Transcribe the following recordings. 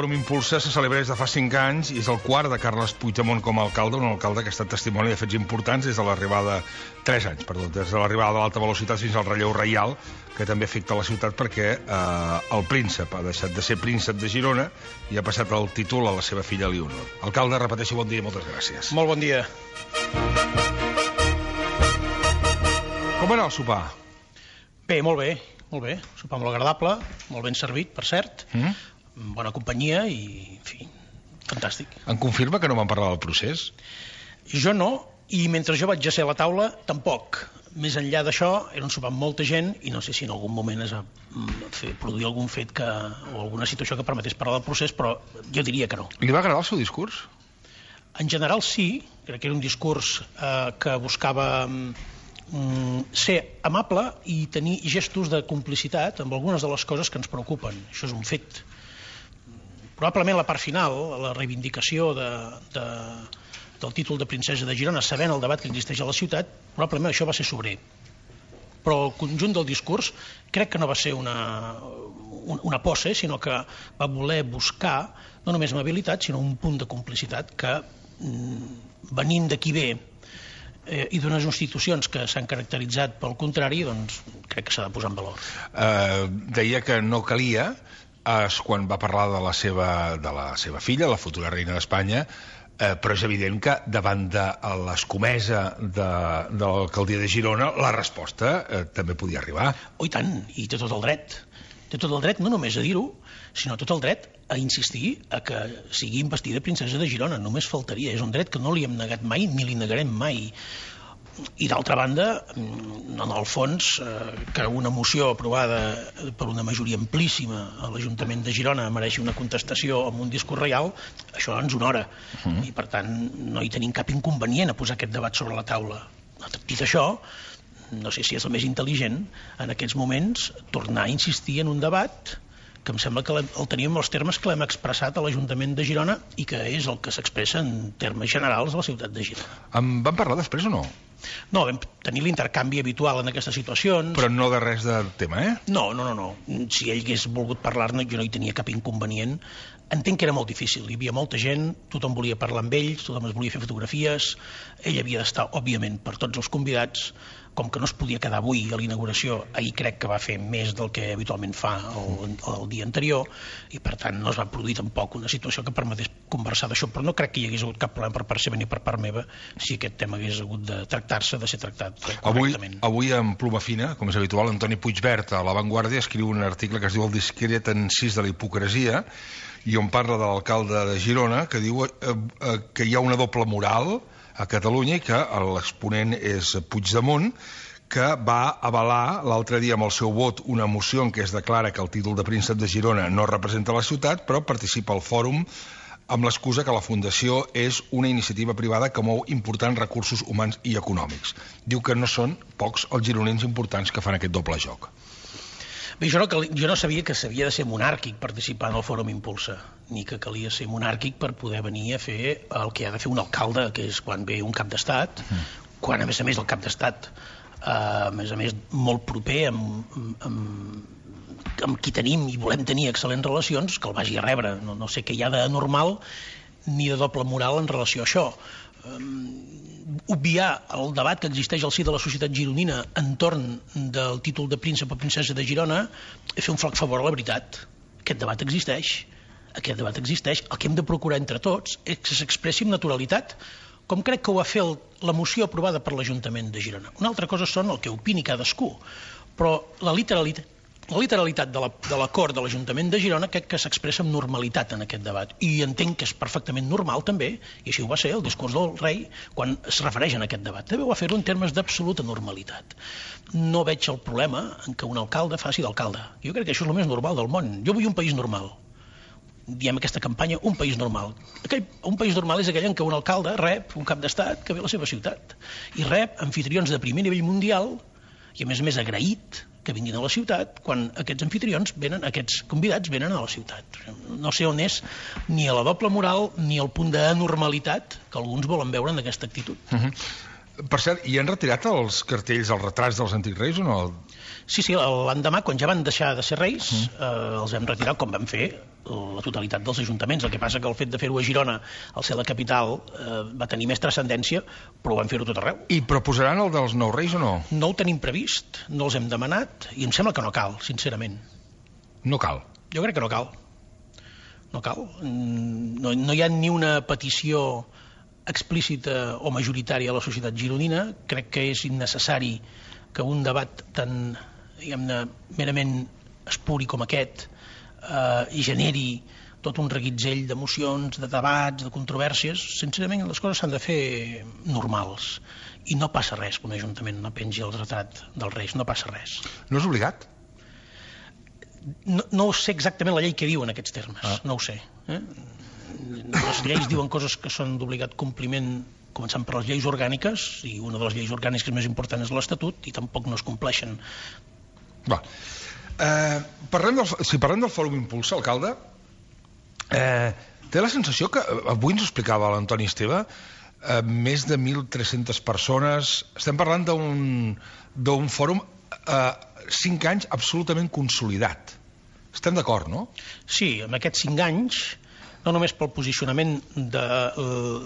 Fòrum Impulsa se celebra des de fa 5 anys i és el quart de Carles Puigdemont com a alcalde, un alcalde que ha estat testimoni de fets importants des de l'arribada... 3 anys, perdó, des de l'arribada de l'alta velocitat fins al relleu reial, que també afecta la ciutat perquè el príncep ha deixat de ser príncep de Girona i ha passat el títol a la seva filla Leonor. Alcalde, repeteixo, bon dia i moltes gràcies. Molt bon dia. Com va anar el sopar? Bé, molt bé. Molt bé, sopar molt agradable, molt ben servit, per cert, bona companyia i, en fi, fantàstic. Em confirma que no van parlar del procés? Jo no, i mentre jo vaig a ser a la taula, tampoc. Més enllà d'això, era un sopar amb molta gent i no sé si en algun moment es va produir algun fet o alguna situació que permetés parlar del procés, però jo diria que no. Li va agradar el seu discurs? En general sí, crec que era un discurs que buscava... ser amable i tenir gestos de complicitat amb algunes de les coses que ens preocupen. Això és un fet. Probablement la part final, la reivindicació del títol de princesa de Girona, sabent el debat que existeix a la ciutat, probablement això va ser sobrer. Però el conjunt del discurs crec que no va ser una posse, sinó que va voler buscar no només amabilitat, sinó un punt de complicitat que, venint de qui ve, i d'unes institucions que s'han caracteritzat pel contrari, doncs crec que s'ha de posar en valor. Deia que no calia, quan va parlar de la seva filla, la futura reina d'Espanya, però és evident que davant de l'escomesa de l'alcaldia de Girona la resposta també podia arribar. Oh, i tant, i té tot el dret. Té tot el dret no només a dir-ho, sinó tot el dret a insistir a que sigui investida princesa de Girona. Només faltaria. És un dret que no li hem negat mai ni li negarem mai. I d'altra banda, en el fons, que una moció aprovada per una majoria amplíssima a l'Ajuntament de Girona mereixi una contestació amb un discurs reial, això ens honora. I per tant no hi tenim cap inconvenient a posar aquest debat sobre la taula. Dit això, no sé si és el més intel·ligent en aquests moments tornar a insistir en un debat que em sembla que el tenim els termes que l'hem expressat a l'Ajuntament de Girona i que és el que s'expressa en termes generals a la ciutat de Girona. En van parlar després o no? No, vam tenir l'intercanvi habitual en aquestes situacions. Però no de res de tema, eh? No. Si ell hagués volgut parlar-ne, jo no hi tenia cap inconvenient. Entenc que era molt difícil, hi havia molta gent, tothom volia parlar amb ells, tothom es volia fer fotografies, ell havia d'estar, òbviament, per tots els convidats, com que no es podia quedar avui a l'inauguració, ahir crec que va fer més del que habitualment fa el dia anterior, i per tant no es va produir tampoc una situació que permetés conversar d'això, però no crec que hi hagués hagut cap problema per part seva ni per part meva si aquest tema hagués hagut de tractar-se, de ser tractat correctament. Avui en pluma fina, com és habitual, Antoni Puigvert a La Vanguardia escriu un article que es diu El discret encís de la hipocresia, i on parla de l'alcalde de Girona, que diu que hi ha una doble moral a Catalunya i que l'exponent és Puigdemont, que va avalar l'altre dia amb el seu vot una moció en què es declara que el títol de príncep de Girona no representa la ciutat, però participa al fòrum amb l'excusa que la fundació és una iniciativa privada que mou importants recursos humans i econòmics. Diu que no són pocs els gironins importants que fan aquest doble joc. Bé, jo no sabia que s'havia de ser monàrquic participar en el Fòrum Impulsa, ni que calia ser monàrquic per poder venir a fer el que ha de fer un alcalde, que és quan ve un cap d'estat, quan a més el cap d'estat, a més, molt proper amb qui tenim i volem tenir excel·lents relacions, que el vagi a rebre. No sé què hi ha d'anormal ni de doble moral en relació a això. Obviar el debat que existeix al si de la societat gironina entorn del títol de príncep o princesa de Girona és fer un flac favor a la veritat. Aquest debat existeix. El que hem de procurar entre tots és que s'expressi amb naturalitat, com crec que ho va fer la moció aprovada per l'Ajuntament de Girona. Una altra cosa són el que opini cadascú, però la literalitat de l'acord de l'Ajuntament de Girona crec que s'expressa amb normalitat en aquest debat, i entenc que és perfectament normal també, i així ho va ser el discurs del rei quan es refereix a aquest debat, també ho va fer-ho en termes d'absoluta normalitat. No veig el problema en què un alcalde faci d'alcalde. Jo crec que això és el més normal del món. Jo vull un país normal. Diem aquesta campanya, un país normal. Un país normal és aquell en què un alcalde rep un cap d'estat que ve a la seva ciutat i rep anfitrions de primer nivell mundial i a més agraït que vinguin a la ciutat quan aquests anfitrions venen, aquests convidats venen a la ciutat. No sé on és ni a la doble moral ni al punt d'anormalitat que alguns volen veure en aquesta actitud. Per cert, i han retirat els cartells, els retrats dels antics reis o no? Sí, l'endemà, quan ja van deixar de ser reis, els hem retirat, com vam fer la totalitat dels ajuntaments. El que passa que el fet de fer-ho a Girona, al ser la capital, va tenir més transcendència, però van fer-ho tot arreu. I proposaran el dels nous reis o no? No ho tenim previst, no els hem demanat, i em sembla que no cal, sincerament. No cal? Jo crec que no cal. No cal. No hi ha ni una petició explícita o majoritària a la societat gironina. Crec que és innecessari que un debat tan, diguem-ne, merament espuri com aquest generi tot un reguitzell d'emocions, de debats, de controvèrsies. Sincerament, les coses s'han de fer normals. I no passa res que un ajuntament no pengi el retrat dels reis, no passa res. No és obligat? No sé exactament la llei que diu en aquests termes, no ho sé. Les lleis diuen coses que són d'obligat compliment, començant per les lleis orgàniques, i una de les lleis orgàniques més importants és l'Estatut, i tampoc no es compleixen. Si parlem del Fòrum Impulsa, alcalde, té la sensació que, avui ens ho explicava l'Antoni Esteve, més de 1.300 persones, estem parlant d'un fòrum 5 anys absolutament consolidat. Estem d'acord, no? Sí, en aquests 5 anys, no només pel posicionament de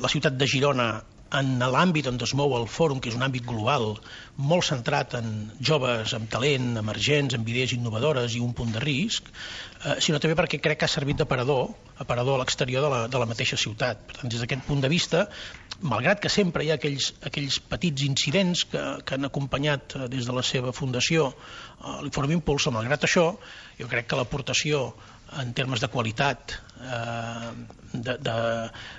la ciutat de Girona en l'àmbit on es mou el fòrum, que és un àmbit global, molt centrat en joves amb talent, emergents, amb idees innovadores i un punt de risc, sinó també perquè crec que ha servit d'aparador a l'exterior de la mateixa ciutat. Per tant, des d'aquest punt de vista, malgrat que sempre hi ha aquells petits incidents que han acompanyat des de la seva fundació l'Informe Impulsa, malgrat això, jo crec que l'aportació en termes de qualitat,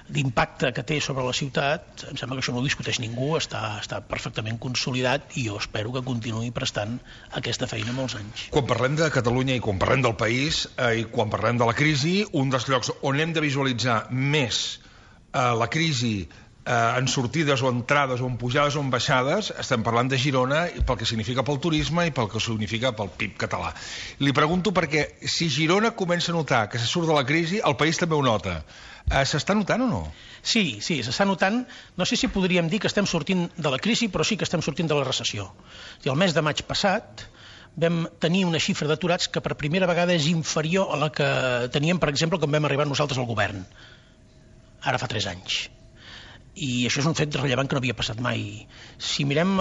d'impacte que té sobre la ciutat, em sembla que això no ho discuteix ningú, està perfectament consolidat, i jo espero que continuï prestant aquesta feina molts anys. Quan parlem de Catalunya i quan parlem del país i quan parlem de la crisi, un dels llocs on hem de visualitzar més la crisi en sortides o entrades o en pujades o en baixades, estem parlant de Girona pel que significa pel turisme i pel que significa pel PIB català. Li pregunto perquè si Girona comença a notar que se surt de la crisi, el país també ho nota. S'està notant o no? Sí, s'està notant. No sé si podríem dir que estem sortint de la crisi, però sí que estem sortint de la recessió. El mes de maig passat vam tenir una xifra d'aturats que per primera vegada és inferior a la que teníem, per exemple, quan vam arribar nosaltres al govern. Ara fa 3 anys. I això és un fet rellevant que no havia passat mai. Si mirem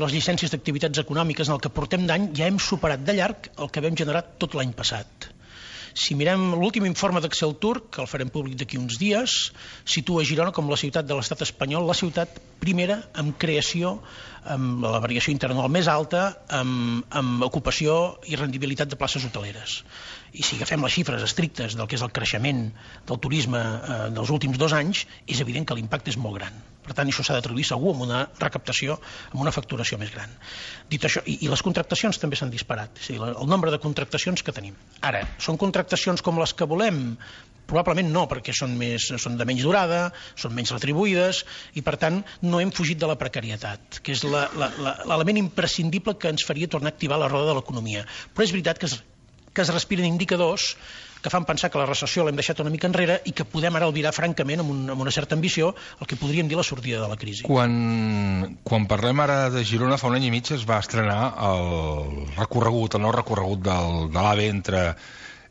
les llicències d'activitats econòmiques en el que portem d'any, ja hem superat de llarg el que vam generar tot l'any passat. Si mirem l'últim informe d'Exceltur, que el farem públic d'aquí uns dies, situa Girona com la ciutat de l'estat espanyol, la ciutat primera en creació, amb la variació interanual més alta, amb ocupació i rendibilitat de places hoteleres. I si agafem les xifres estrictes del que és el creixement del turisme dels últims 2 anys, és evident que l'impacte és molt gran. Per tant, això s'ha de traduir segur en una recaptació, en una facturació més gran. Dit això, i les contractacions també s'han disparat, és a dir, el nombre de contractacions que tenim. Ara, són contractacions com les que volem? Probablement no, perquè són de menys durada, són menys retribuïdes, i per tant no hem fugit de la precarietat, que és l'element imprescindible que ens faria tornar a activar la roda de l'economia. Però és veritat que es respiren indicadors que fan pensar que la recessió l'hem deixat una mica enrere i que podem ara albirar francament amb una certa ambició el que podríem dir la sortida de la crisi. Quan parlem ara de Girona, fa 1 any i mig es va estrenar el nou recorregut de l'AVE entre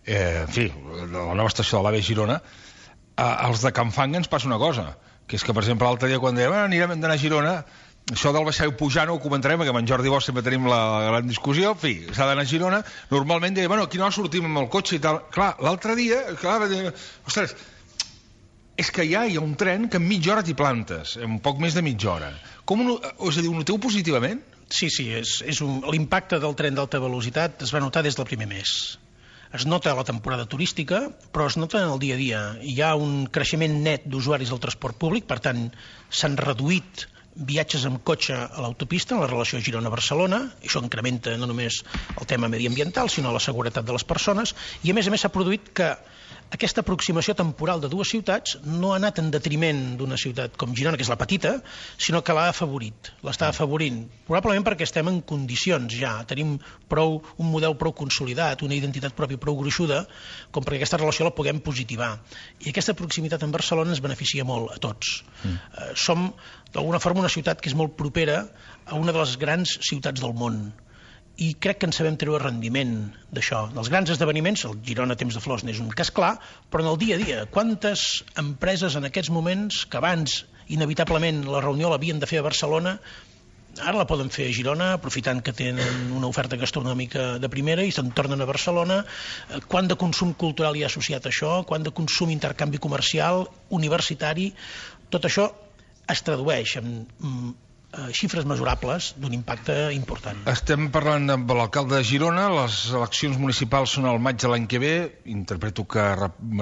la nova estació de l'AVE Girona. Als de Can Fanga ens passa una cosa, que és que, per exemple, l'altre dia quan dèiem anirem d'anar a Girona, això del baixar i pujar no ho comentarem, perquè amb en Jordi Bosch sempre tenim la gran discussió, en fi, s'ha d'anar a Girona, normalment deia, bueno, aquí no sortim amb el cotxe i tal. Clar, l'altre dia, ostres, és que ja hi ha un tren que en mitja hora t'hi plantes, en poc més de mitja hora. És a dir, ho noteu positivament? Sí, l'impacte del tren d'alta velocitat es va notar des del primer mes. Es nota a la temporada turística, però es nota en el dia a dia. Hi ha un creixement net d'usuaris del transport públic, per tant, s'han reduït viatges amb cotxe a l'autopista en la relació Girona-Barcelona. Això incrementa no només el tema mediambiental, sinó la seguretat de les persones, i a més s'ha produït que aquesta aproximació temporal de dues ciutats no ha anat en detriment d'una ciutat com Girona, que és la petita, sinó que l'ha afavorit, l'està afavorint. Probablement perquè estem en condicions ja, tenim un model prou consolidat, una identitat pròpia prou gruixuda, com perquè aquesta relació la puguem positivar. I aquesta proximitat amb Barcelona ens beneficia molt a tots. Som, d'alguna forma, una ciutat que és molt propera a una de les grans ciutats del món. I crec que en sabem treure rendiment d'això. Dels grans esdeveniments, el Girona Temps de Flors n'és un cas clar, però en el dia a dia, quantes empreses en aquests moments, que abans inevitablement la reunió l'havien de fer a Barcelona, ara la poden fer a Girona, aprofitant que tenen una oferta gastronòmica de primera i se'n tornen a Barcelona. Quant de consum cultural hi ha associat a això, quant de consum intercanvi comercial, universitari, tot això es tradueix en xifres mesurables d'un impacte important. Estem parlant amb l'alcalde de Girona, les eleccions municipals són al maig de l'any que ve, interpreto que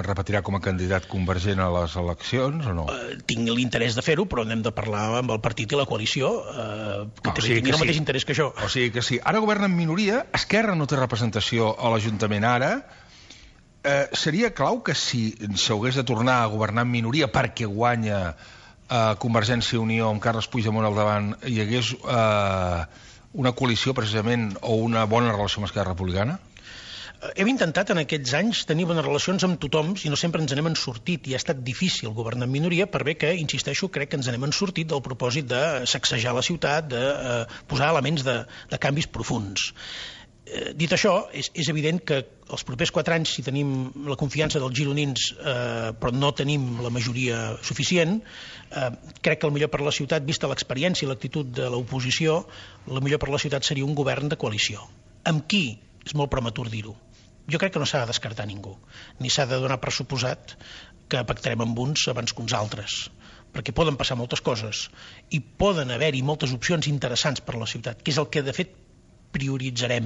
repetirà com a candidat convergent a les eleccions o no? Tinc l'interès de fer-ho, però n'hem de parlar amb el partit i la coalició, que tinguin el mateix interès que jo. O sigui que sí. Ara governa en minoria, Esquerra no té representació a l'Ajuntament ara. Seria clau que si s'hagués de tornar a governar en minoria perquè guanya Convergència i Unió amb Carles Puigdemont al davant, hi hagués una coalició precisament o una bona relació amb Esquerra Republicana? Hem intentat en aquests anys tenir bones relacions amb tothom i no sempre ens n'hem sortit i ha estat difícil governar en minoria per bé que, insisteixo, crec que ens n'hem sortit del propòsit de sacsejar la ciutat, de posar elements de canvis profunds. Dit això, és evident que els propers 4 anys, si tenim la confiança dels gironins però no tenim la majoria suficient, crec que el millor per la ciutat, vista l'experiència i l'actitud de l'oposició, el millor per la ciutat seria un govern de coalició. Amb qui? És molt prematur dir-ho. Jo crec que no s'ha de descartar ningú, ni s'ha de donar per suposat que pactarem amb uns abans que uns altres, perquè poden passar moltes coses i poden haver-hi moltes opcions interessants per a la ciutat, que és el que de fet prioritzarem,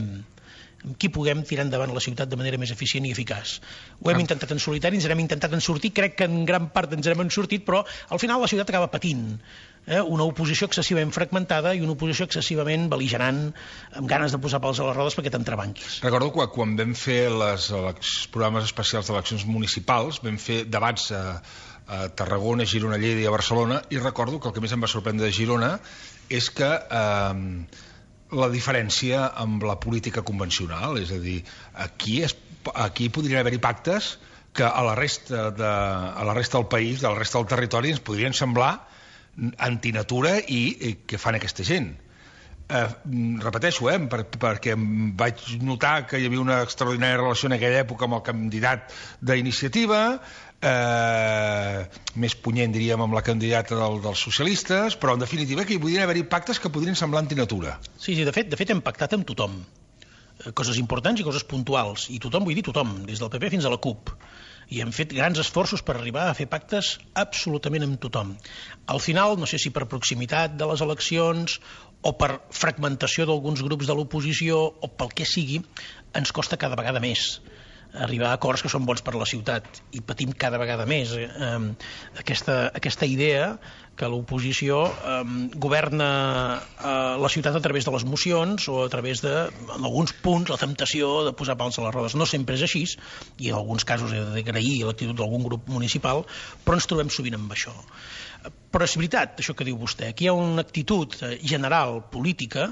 amb qui puguem tirar endavant la ciutat de manera més eficient i eficaç. Ho hem intentat en solitari, ens n'hem intentat en sortir, crec que en gran part ens n'hem sortit, però al final la ciutat acaba patint una oposició excessivament fragmentada i una oposició excessivament bel·ligerant, amb ganes de posar pals a les rodes perquè t'entrebanquis. Recordo que quan vam fer els programes especials d'eleccions municipals, vam fer debats a Tarragona, Girona, Lleida i a Barcelona, i recordo que el que més em va sorprendre de Girona és que la diferència amb la política convencional, és a dir, aquí podrien haver-hi pactes que a la resta del país, a la resta del territori, ens podrien semblar antinatura i què fan aquesta gent. Repeteixo, perquè vaig notar que hi havia una extraordinària relació en aquella època amb el candidat d'Iniciativa, més punyent, diríem, amb la candidata dels socialistes, però en definitiva que hi podrien haver-hi pactes que podrien semblar antinatura. Sí, de fet hem pactat amb tothom, coses importants i coses puntuals, i tothom, vull dir tothom, des del PP fins a la CUP, i hem fet grans esforços per arribar a fer pactes absolutament amb tothom. Al final, no sé si per proximitat de les eleccions o per fragmentació d'alguns grups de l'oposició o pel que sigui, ens costa cada vegada més arribar a acords que són bons per a la ciutat i patim cada vegada més aquesta idea que l'oposició governa la ciutat a través de les mocions o a través de, en alguns punts, la temptació de posar pals a les rodes. No sempre és així i en alguns casos he d'agrair l'actitud d'algun grup municipal, però ens trobem sovint amb això. Però és veritat, això que diu vostè, aquí hi ha una actitud general política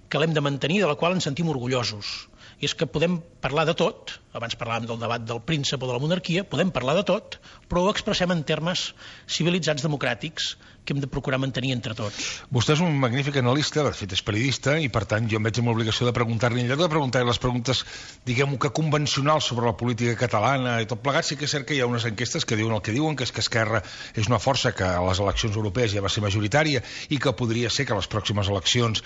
que l'hem de mantenir, de la qual ens sentim orgullosos. I és que podem parlar de tot, abans parlàvem del debat del príncep o de la monarquia, podem parlar de tot, però ho expressem en termes civilitzats democràtics que hem de procurar mantenir entre tots. Vostè és un magnífic analista, de fet és periodista, i per tant jo em veig amb l'obligació de preguntar-li, en lloc de preguntar les preguntes, diguem-ho que convencionals sobre la política catalana i tot plegat, sí que és cert que hi ha unes enquestes que diuen el que diuen, que és que Esquerra és una força que a les eleccions europees ja va ser majoritària i que podria ser que a les pròximes eleccions,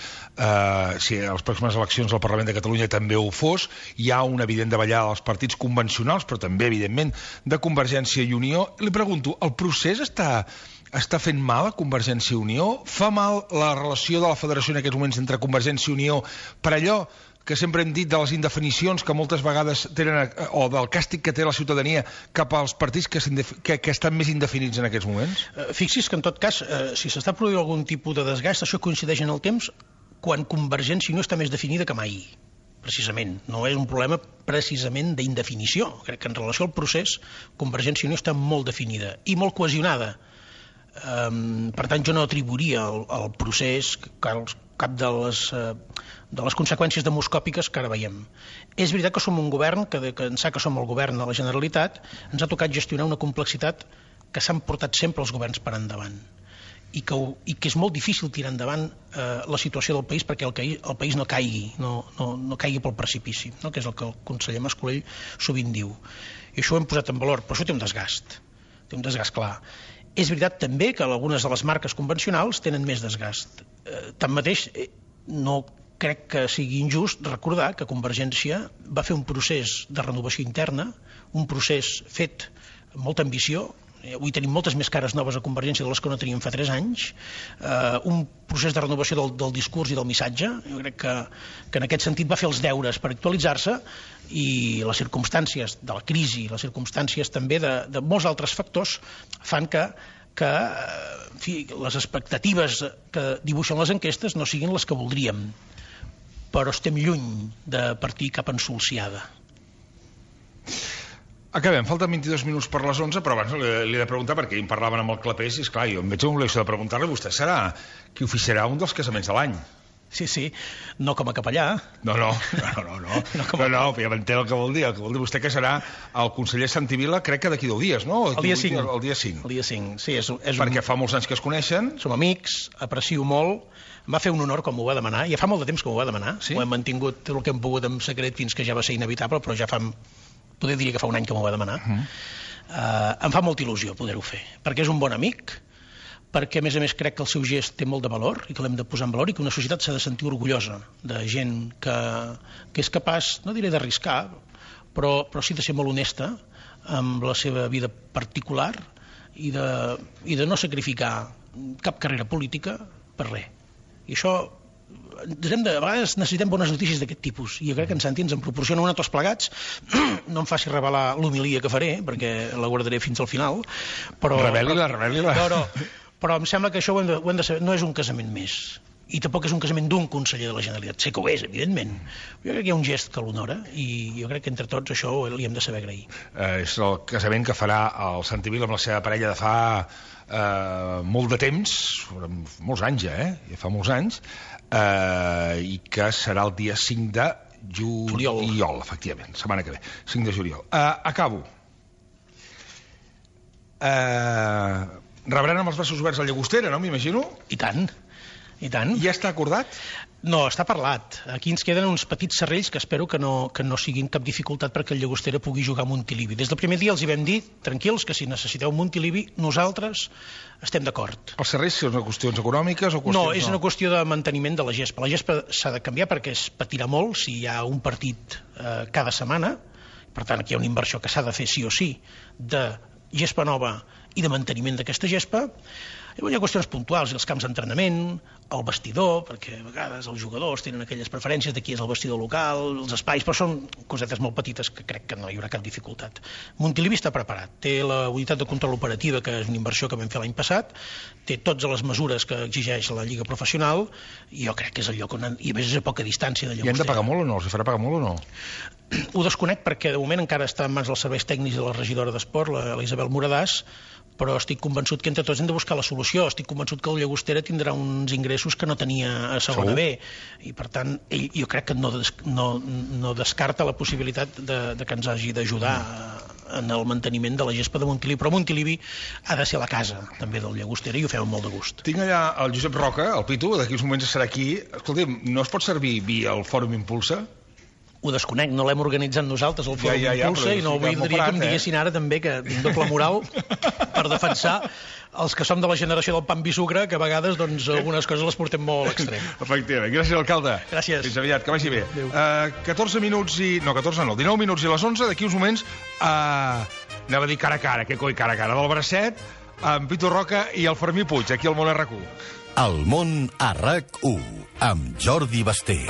si a les pròximes eleccions al Parlament de Catalunya també ho fos, hi ha una evident davallada dels partits convencionals, però també, evidentment, de Convergència i Unió. Li pregunto, el procés està fent mal a Convergència i Unió? Fa mal la relació de la federació en aquests moments entre Convergència i Unió per allò que sempre hem dit de les indefinicions que moltes vegades tenen, o del càstig que té la ciutadania cap als partits que estan més indefinits en aquests moments? Fixi's que en tot cas, si s'està produint algun tipus de desgast, això coincideix en el temps quan Convergència i Unió està més definida que mai. precisament. No és un problema precisament d'indefinició. Crec que en relació al procés, Convergència i Unió està molt definida i molt cohesionada. Per tant, jo no atribuiria al procés cap de les conseqüències demoscòpiques que ara veiem. És veritat que som un govern, que ençà que som el govern de la Generalitat, ens ha tocat gestionar una complexitat que s'han portat sempre els governs per endavant i que és molt difícil tirar endavant la situació del país perquè el país no caigui, no caigui pel precipici, no? Que és el que el conseller Mas-Colell sovint diu. I això ho hem posat en valor, però això té un desgast clar. És veritat també que algunes de les marques convencionals tenen més desgast. Tanmateix, no crec que sigui injust recordar que Convergència va fer un procés de renovació interna, un procés fet amb molta ambició. Avui tenim moltes més cares noves a Convergència de les que no teníem fa 3 anys, un procés de renovació del discurs i del missatge. Jo crec que en aquest sentit va fer els deures per actualitzar-se, i les circumstàncies de la crisi, les circumstàncies també de molts altres factors fan que en fi, les expectatives que dibuixen les enquestes no siguin les que voldríem, però estem lluny de partir cap ensolsiada. Acabem, falten 22 minuts per les 11, però abans li he de preguntar, perquè em parlaven amb el Clapés, i esclar, jo em veig amb l'obligació de preguntar-li, vostè serà qui oficiarà un dels casaments de l'any. Sí, no com a capellà. No, ja m'entén el que vol dir. El que vol dir vostè que serà el conseller Santivila, crec que d'aquí 10 dies, no? El dia 5. El dia 5. El dia 5, sí. Perquè fa molts anys que es coneixen. Som amics, aprecio molt. Em va fer un honor quan m'ho va demanar. Ja fa molt de temps que m'ho va demanar. Sí? Ho hem mantingut el que hem pogut en secret fins que ja va ser inevitable, però ja poder diria que fa un any que m'ho va demanar. Em fa molta il·lusió poder-ho fer, perquè és un bon amic, perquè a més crec que el seu gest té molt de valor i que l'hem de posar en valor i que una societat s'ha de sentir orgullosa de gent que és capaç, no diré d'arriscar, però sí de ser molt honesta amb la seva vida particular i de no sacrificar cap carrera política per res. I això a vegades necessitem bones notícies d'aquest tipus, i jo crec que en Santi ens en proporciona una a tots plegats. No em faci revelar l'homilia que faré, perquè la guardaré fins al final, però em sembla que això ho hem de saber. No és un casament més, i tampoc és un casament d'un conseller de la Generalitat. Sé que ho és, evidentment. Jo crec que hi ha un gest que l'honora, i jo crec que entre tots això li hem de saber agrair. És el casament que farà el Santivila amb la seva parella de fa molt de temps, molts anys ja, fa molts anys, i que serà el dia 5 de juliol, efectivament, setmana que ve, 5 de juliol. Acabo. Rebran amb els braços oberts a Llagostera, no, m'imagino? I tant. Ja està acordat? No, està parlat. Aquí ens queden uns petits serrells que espero que no siguin cap dificultat perquè el Llagostera pugui jugar a Montilivi. Des del primer dia els hi vam dir, tranquils, que si necessiteu Montilivi, nosaltres estem d'acord. Els serrells són qüestions econòmiques o qüestions... No, és una qüestió de manteniment de la gespa. La gespa s'ha de canviar perquè es patirà molt si hi ha un partit cada setmana. Per tant, aquí hi ha una inversió que s'ha de fer sí o sí de gespa nova i de manteniment d'aquesta gespa. Hi ha qüestions puntuals, els camps d'entrenament, el vestidor, perquè a vegades els jugadors tenen aquelles preferències de qui és el vestidor local, els espais, però són cosetes molt petites que crec que no hi haurà cap dificultat. Montilivi està preparat, té la unitat de control operativa, que és una inversió que vam fer l'any passat, té totes les mesures que exigeix la Lliga Professional, i jo crec que és el lloc on... I a més és a poca distància de Llagostera. I hem de pagar molt o no? Els farà pagar molt o no? Ho desconec perquè de moment encara està en mans dels serveis tècnics de la regidora d'Esport, la Isabel Moradàs, però estic convençut que entre tots hem de buscar la solució. Estic convençut que el Llagostera tindrà uns ingressos que no tenia a segona B, i per tant jo crec que no descarta la possibilitat de que ens hagi d'ajudar en el manteniment de la gespa de Montilivi, però Montilivi ha de ser la casa també del Llagostera i ho fem amb molt de gust. Tinc allà el Josep Roca, el Pitu, d'aquí uns moments serà aquí. Escolti'm, no es pot servir vi al Fòrum Impulsa? Ho desconec, no l'hem organitzat nosaltres el Fòrum Impulsa, i no voldria que em diguessin ara també que tinc doble moral per defensar els que som de la generació del pa amb vi sucre, que a vegades doncs algunes coses les portem molt a l'extrem. Efectivament. Gràcies, alcalde. Gràcies. Fins aviat, que vagi bé. 19 minuts i 11, d'aquí uns moments anava a dir cara a cara, que coi cara a cara, del bracet, amb Pitu Roca i el Fermí Puig, aquí al Món RQ. El Món a RAC1, amb Jordi Basté.